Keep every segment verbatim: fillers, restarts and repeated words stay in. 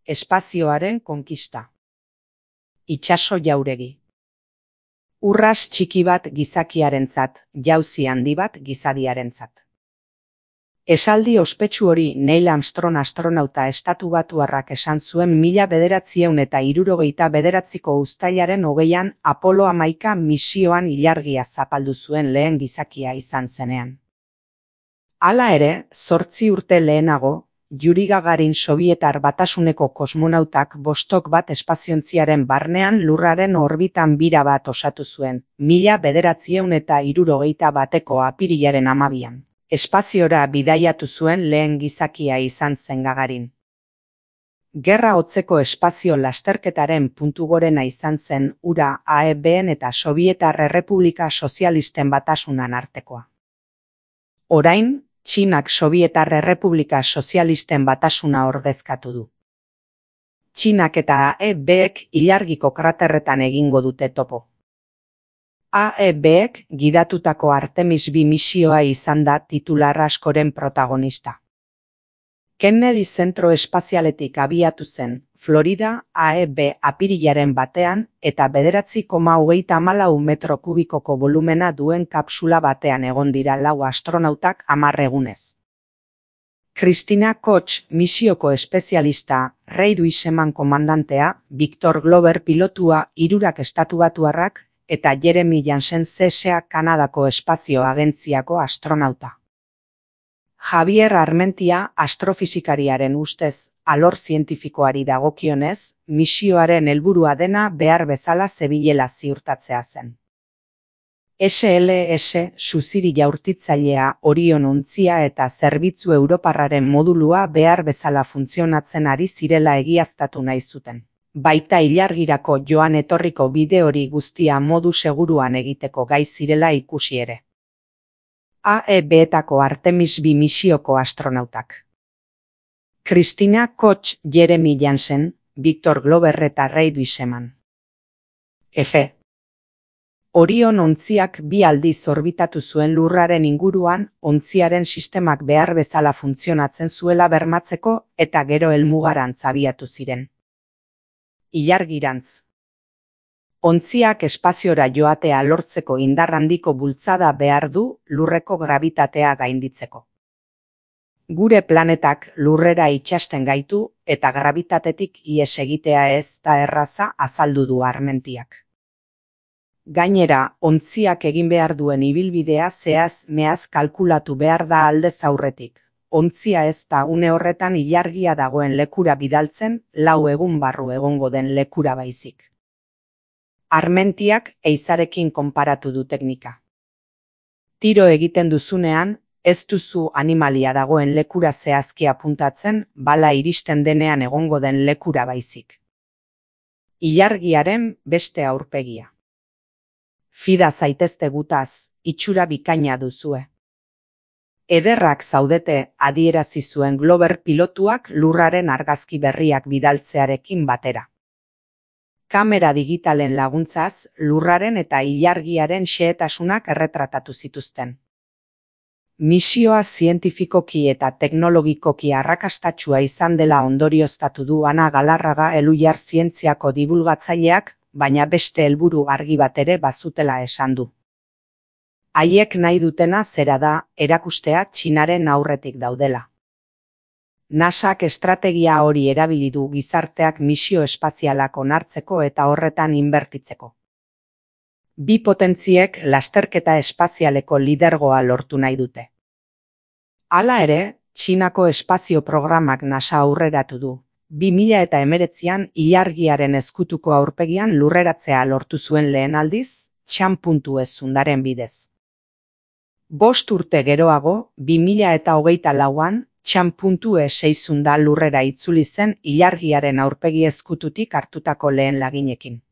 Espazioaren konkista. Itsaso jauregi. Urras txiki bat gizakiarentzat, jauzi handi bat gizadiarentzat. Esaldi ospetsu hori Neil Armstrong astronauta estatubatuarrak esan zuen mila bederatziehun eta hirurogeita bederatziko uztailaren hogeian Apollo hamaika misioan ilargia zapaldu zuen lehen gizakia izan zenean. Hala ere, zortzi urte lehenago, Yuri Gagarin Sobietar Batasuneko kosmonautak Vostok bat espaziontziaren barnean lurraren orbitan bira bat osatu zuen, mila bederatziehun eta hirurogeita bateko apirilaren hamabian. Espaziora bidaiatu zuen lehen gizakia izan zen Gagarin. Gerra hotzeko espazio lasterketaren puntu gorena izan zen hura A E B-en eta Sobietar Errepublika Sozialisten Batasunan artekoa. Orain, Txinak Sobietar Errepublika Sozialisten Batasuna ordezkatu du. Txinak eta A E B-ek ilargiko kraterretan egingo dute topo. A E B-ek gidatutako Artemis bi misioa izan da titular askoren protagonista. Kennedy zentro espazialetik abiatu zen, Florida, A E B apirilaren batean eta bederatzi koma hogeita hamalau metro kubikoko volumena duen kapsula batean egon dira lau astronautak hamar egunez. Christina Koch misioko espezialista, Ray Wiseman komandantea, Victor Glover pilotua, hirurak estatubatuarrak, eta Jeremy Jansen C S A Kanadako espazio agentziako astronauta. Javier Armentia astrofisikariaren ustez, alor zientifikoari dagokionez, misioaren helburua dena behar bezala zebilela ziurtatzea zen. S L S suziri jaurtitzailea Orion ontzia eta zerbitzu europarraren modulua behar bezala funtzionatzen ari zirela egiaztatu nahi zuten. Baita ilargirako joan etorriko bide hori guztia modu seguruan egiteko gai zirela ikusi ere. A E B-etako Artemis bi misioko astronautak. Christina Koch, Jeremy Jansen, Victor Glover eta Ray Wiseman. F. Orion ontziak bi aldiz orbitatu zuen lurraren inguruan, ontziaren sistemak behar bezala funtzionatzen zuela bermatzeko eta gero helmugarantz abiatu ziren. Ilargirantz. Ontziak espaziora joatea lortzeko indar handiko bultzada behar du lurreko grabitatea gainditzeko. Gure planetak lurrera itsasten gaitu eta grabitatetik ihes egitea ez da erraza azaldu du Armentiak. Gainera, ontziak egin behar duen ibilbidea zehaz meaz kalkulatu behar da aldez aurretik. Ontzia ez da une horretan ilargia dagoen lekura bidaltzen, lau egun barru egongo den lekura baizik. Armentiak eizarekin konparatu du teknika. Tiro egiten duzunean, ez duzu animalia dagoen lekura zehazki apuntatzen, bala iristen denean egongo den lekura baizik. Ilargiaren beste aurpegia. Fida zaitezte gutaz, itxura bikaina duzue. Ederrak zaudete adierazi zuen Glover pilotuak lurraren argazki berriak bidaltzearekin batera. Kamera digitalen laguntzaz, lurraren eta ilargiaren xehetasunak erretratatu zituzten. Misioa zientifikoki eta teknologikoki arrakastatsua izan dela ondorioztatu du Ana Galarraga Elhuyar zientziako dibulgatzaileak, baina beste helburu argi bat ere bazutela esan du. Haiek nahi dutena zera da, erakustea Txinaren aurretik daudela. NASAk estrategia hori erabili du gizarteak misio espazialak onartzeko eta horretan inbertitzeko. Bi potentziek lasterketa espazialeko lidergoa lortu nahi dute. Hala ere, Txinako espazio programak NASA aurreratu du. bi mila hemeretzian ilargiaren ezkutuko aurpegian lurreratzea lortu zuen lehen aldiz, Chan puntu ez zundaren bidez. Bost urte geroago, bi mila hogeita lauan, Chan puntu ez seizunda lurrera itzuli zen ilargiaren aurpegi ezkututik hartutako lehen laginekin.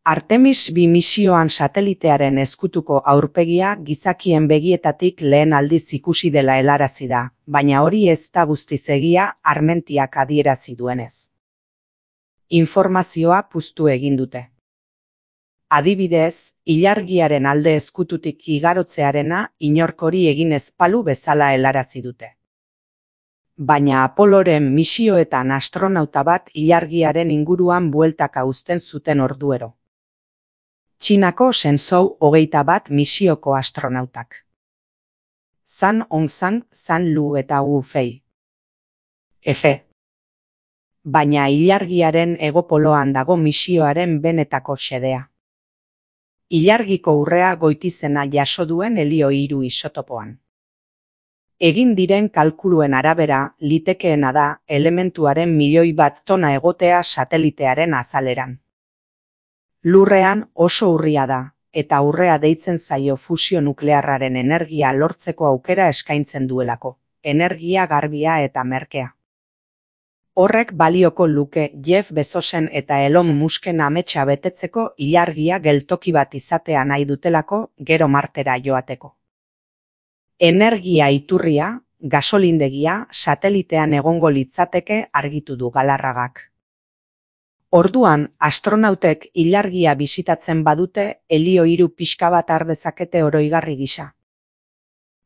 Artemis bi misioan satelitearen ezkutuko aurpegia gizakien begietatik lehen aldiz ikusi dela helarazi da, baina hori ez da guztiz egia Armentiak adierazi duenez. Informazioa puztu egin dute. Adibidez, ilargiaren alde ezkututik igarotzearena inork hori egin ez balu bezala helarazi dute. Baina Apoloren misioetan astronauta bat ilargiaren inguruan bueltaka uzten zuten orduero. Txinako Shenzhou hogeita bat misioko astronautak. Zhang Hongzhang, Zhang Lu eta Wu Fei. Efe. Baina ilargiaren hegopoloan dago misioaren benetako xedea. Ilargiko urrea goitizena jaso duen helio hiru isotopoan. Egin diren kalkuluen arabera, litekeena da elementuaren milioi bat tona egotea satelitearen azaleran. Lurrean oso urria da, eta urrea deitzen zaio fusio nuklearraren energia lortzeko aukera eskaintzen duelako, energia garbia eta merkea. Horrek balioko luke Jeff Bezosen eta Elon Musken ametsa betetzeko ilargia geltoki bat izatea nahi dutelako gero Martera joateko. Energia iturria, gasolindegia, satelitean egongo litzateke argitu du Galarragak. Orduan, astronautek ilargia bisitatzen badute helio hiru pixka bat har dezakete oroigarri gisa.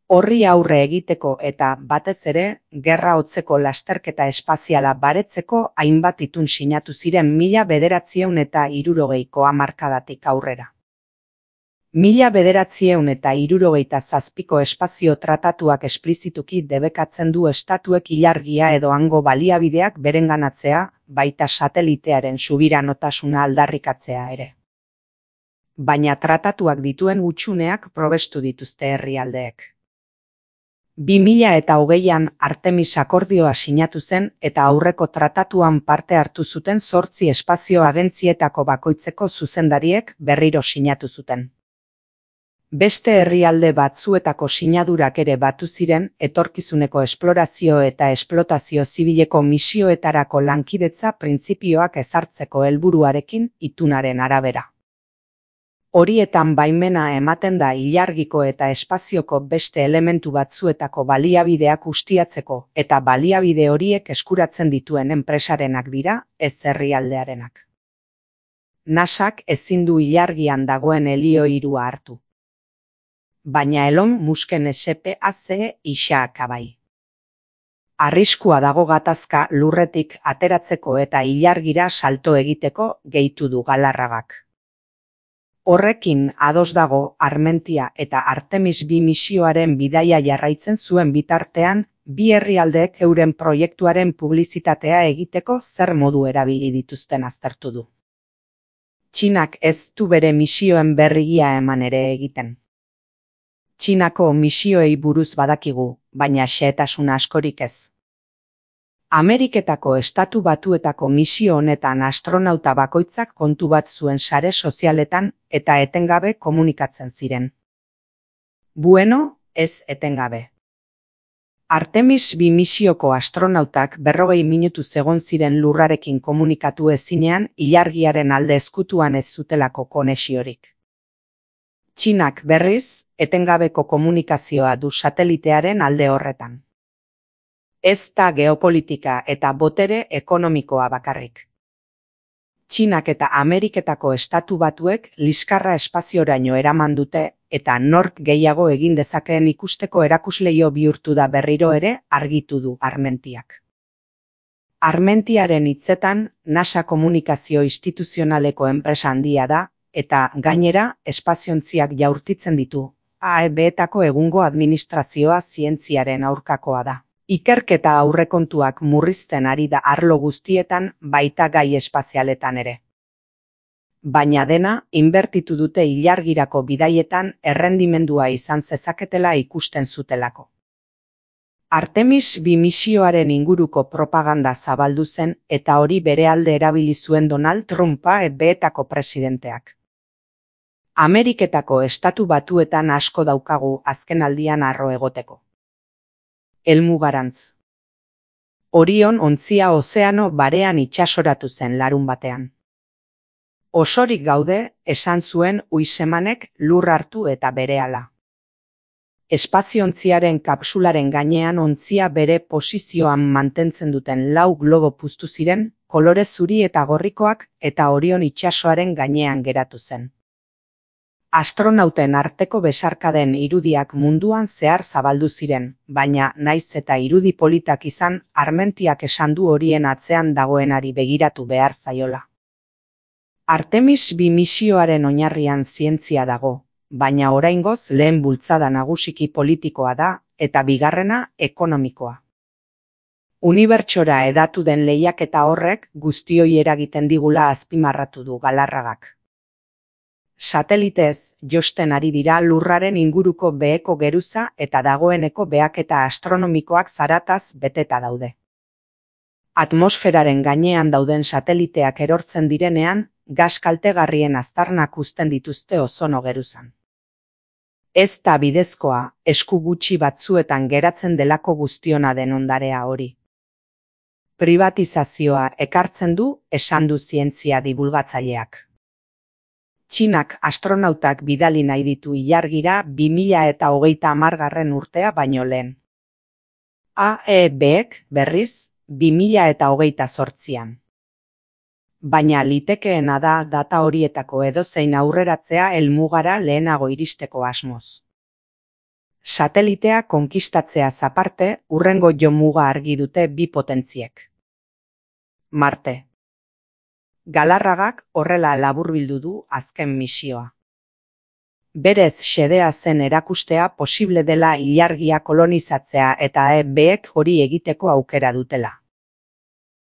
Horri aurre egiteko eta, batez ere, gerra hotzeko lasterketa espaziala baretzeko hainbat itun sinatu ziren mila bederatziehun eta hirurogeiko hamarkadatik aurrera. Mila bederatziehun eta hirurogeita zazpiko espazio tratatuak esplizituki debekatzen du estatuek ilargia edo hango baliabideak berenganatzea, baita satelitearen subiranotasuna aldarrikatzea ere. Baina tratatuak dituen hutsuneak probestu dituzte herrialdeek. bi mila eta hogeian Artemis akordioa sinatu zen eta aurreko tratatuan parte hartu zuten zortzi espazio agentzietako bakoitzeko zuzendariek berriro sinatu zuten. Beste herrialde batzuetako sinadurak ere batu ziren etorkizuneko esplorazio eta esplotazio zibileko misioetarako lankidetza printzipioak ezartzeko helburuarekin itunaren arabera. Horietan baimena ematen da ilargiko eta espazioko beste elementu batzuetako baliabideak ustiatzeko eta baliabide horiek eskuratzen dituen enpresarenak dira, ez herrialdearenak. NASAk ezin du ilargian dagoen helio hirua hartu. Baina Elon Musken S P A C isaka bai. Arriskua dago gatazka lurretik ateratzeko eta ilargira salto egiteko gehitu du Galarragak. Horrekin ados dago Armentia eta Artemis bi misioaren bidaia jarraitzen zuen bitartean, bi herrialdeek euren proiektuaren publizitatea egiteko zer modu erabili dituzten aztertu du. Txinak ez du bere misioen berrigia eman ere egiten. Txinako misioei buruz badakigu, baina xehetasun askorik ez. Ameriketako estatu batuetako misio honetan astronauta bakoitzak kontu bat zuen sare sozialetan eta etengabe komunikatzen ziren. Bueno, ez etengabe. Artemis bi misioko astronautak berrogei minutuz egon ziren lurrarekin komunikatu ezinean ilargiaren alde ezkutuan ez zutelako konexiorik. Txinak berriz, etengabeko komunikazioa du satelitearen alde horretan. Ez da geopolitika eta botere ekonomikoa bakarrik. Txinak eta Ameriketako estatu batuek liskarra espazioraino eraman dute eta nork gehiago egin dezakeen ikusteko erakusleio bihurtu da berriro ere argitu du Armentiak. Armentiaren hitzetan NASA komunikazio instituzionaleko enpresa handia da, eta gainera espaziontziak jaurtitzen ditu, A E B-etako egungo administrazioa zientziaren aurkakoa da. Ikerketa aurrekontuak murrizten ari da arlo guztietan baita gai espazialetan ere. Baina dena, inbertitu dute ilargirako bidaietan errendimendua izan zezaketela ikusten zutelako. Artemis bi misioaren inguruko propaganda zabaldu zen eta hori bere alde erabili zuen Donald Trumpa A E B-etako presidenteak. Ameriketako estatu batuetan asko daukagu azkenaldian harro egoteko. Helmugarantz. Orion ontzia ozeano barean itsasoratu zen larun batean. Osorik gaude, esan zuen Uisemanek lur hartu eta berehala. Espaziontziaren kapsularen gainean ontzia bere posizioan mantentzen duten lau globo puztu ziren, kolore zuri eta gorrikoak eta Orion itsasoaren gainean geratu zen. Astronauten arteko besarkaden irudiak munduan zehar zabaldu ziren, baina naiz eta irudi politak izan, Armentiak esan du horien atzean dagoenari begiratu behar zaiola. Artemis bi misioaren oinarrian zientzia dago, baina oraingoz lehen bultzada nagusiki politikoa da, eta bigarrena ekonomikoa. Unibertsora hedatu den lehiaketa horrek guztioi eragiten digula azpimarratu du Galarragak. Satelitez josten ari dira Lurraren inguruko beheko geruza eta dagoeneko behaketa astronomikoak zarataz beteta daude. Atmosferaren gainean dauden sateliteak erortzen direnean, gas kaltegarrien aztarnak uzten dituzte ozono geruzan. Ez da bidezkoa, esku gutxi batzuetan geratzen delako guztiona den ondarea hori. Privatizazioa ekartzen du, esan du zientzia dibulgatzaileak. Txinak astronautak bidali nahi ditu ilargira bi mila eta hogeita hamargarren urtea baino lehen. A E Bek, berriz, bi mila eta hogeita zortzian. Baina litekeena da data horietako edozein aurreratzea helmugara lehenago iristeko asmoz. Satelitea konkistatzeaz aparte, hurrengo jomuga argi dute bi potentziek. Marte. Galarragak horrela laburbildu du azken misioa. Berez xedea zen erakustea posible dela ilargia kolonizatzea eta E Bek hori egiteko aukera dutela.